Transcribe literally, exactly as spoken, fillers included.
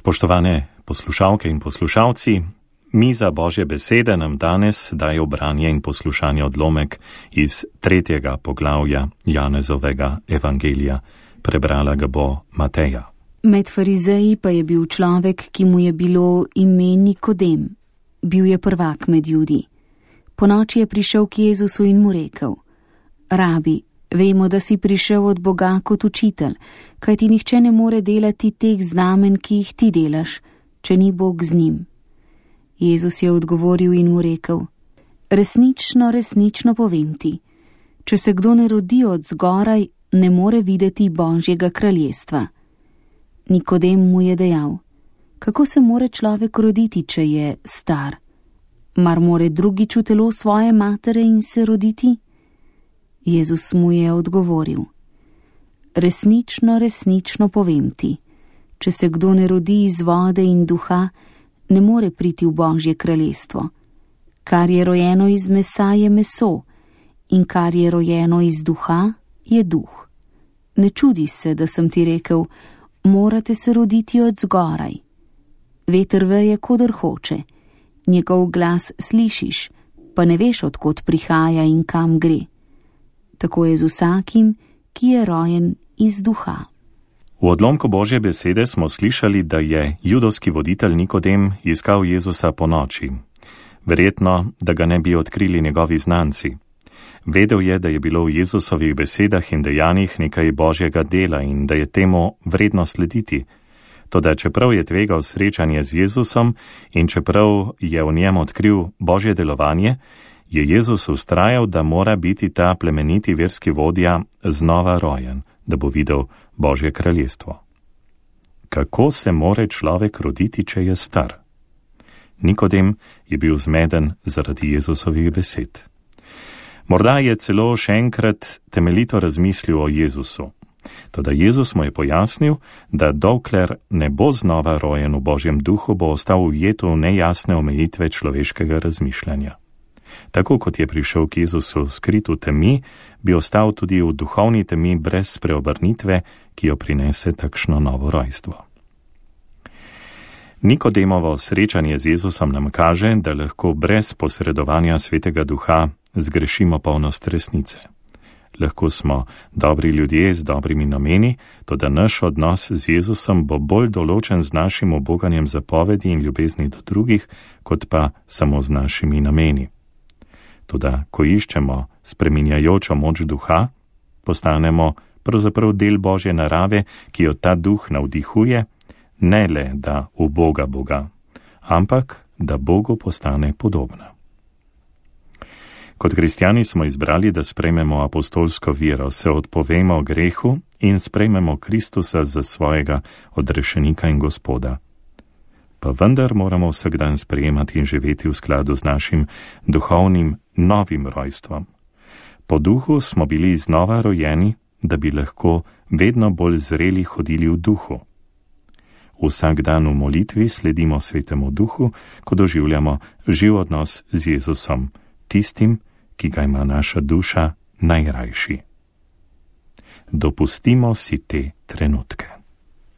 Spoštovane poslušalke in poslušalci, miza Božje besede nam danes daje branje in poslušanje odlomek iz tretjega poglavja Janezovega evangelija. Prebrala ga bo Mateja. Med farizeji pa je bil človek, ki mu je bilo ime Nikodem. Bil je prvak med Judi. Ponoči je prišel k Jezusu in mu rekel: Rabi, vemo, da si prišel od Boga kot učitelj, kajti nihče ne more delati teh znamen, ki jih ti delaš, če ni Bog z njim. Jezus je odgovoril in mu rekel: Resnično, resnično povem ti, če se kdo ne rodi od zgoraj, ne more videti Božjega kraljestva. Nikodem mu je dejal: Kako se more človek roditi, če je star? Mar more drugič v telo svoje matere in se roditi? Jezus mu je odgovoril: Resnično, resnično povem ti, če se kdo ne rodi iz vode in duha, ne more priti v Božje kraljestvo. Kar je rojeno iz mesa, je meso, in kar je rojeno iz duha, je duh. Ne čudi se, da sem ti rekel: morate se roditi od zgoraj. Veter veje, kodr hoče, njegov glas slišiš, pa ne veš, od kod prihaja in kam gre. Tako je z vsakim, ki je rojen iz duha. V odlomku Božje besede smo slišali, da je judovski voditelj Nikodem iskal Jezusa po noči. Verjetno, da ga ne bi odkrili njegovi znanci. Vedel je, da je bilo v Jezusovih besedah in dejanjih nekaj Božjega dela in da je temu vredno slediti. Toda čeprav je tvegal srečanje z Jezusom in čeprav je v njem odkril Božje delovanje, je Jezus ustrajal, da mora biti ta plemeniti verski vodja znova rojen, da bo videl Božje kraljestvo. Kako se more človek roditi, če je star? Nikodem je bil zmeden zaradi Jezusovih besed. Morda je celo še enkrat temeljito razmislil o Jezusu. Toda Jezus mu je pojasnil, da dokler ne bo znova rojen v Božjem duhu, bo ostal ujet v nejasne omejitve človeškega razmišljanja. Tako kot je prišel k Jezusu skrit v temi, bi ostal tudi v duhovni temi brez preobrnitve, ki jo prinese takšno novo rojstvo. Nikodemovo srečanje z Jezusom nam kaže, da lahko brez posredovanja Svetega Duha zgrešimo polnost resnice. Lahko smo dobri ljudje z dobrimi nameni, toda naš odnos z Jezusom bo bolj določen z našim uboganjem zapovedi in ljubezni do drugih, kot pa samo z našimi nameni. Toda, ko iščemo spreminjajočo moč duha, postanemo pravzaprav del Božje narave, ki jo ta duh navdihuje, ne le da uboga Boga, ampak da Bogu postane podobna. Kot kristjani smo izbrali, da sprejmemo apostolsko vero, se odpovemo grehu in sprejmemo Kristusa za svojega odrešenika in Gospoda. Pa vendar moramo vsak dan sprejemati in živeti v skladu z našim duhovnim novim rojstvom. Po duhu smo bili znova rojeni, da bi lahko vedno bolj zreli hodili v duhu. Vsak dan v molitvi sledimo Svetemu Duhu, ko doživljamo živ odnos z Jezusom, tistim, ki ga ima naša duša najrajši. Dopustimo si te trenutke.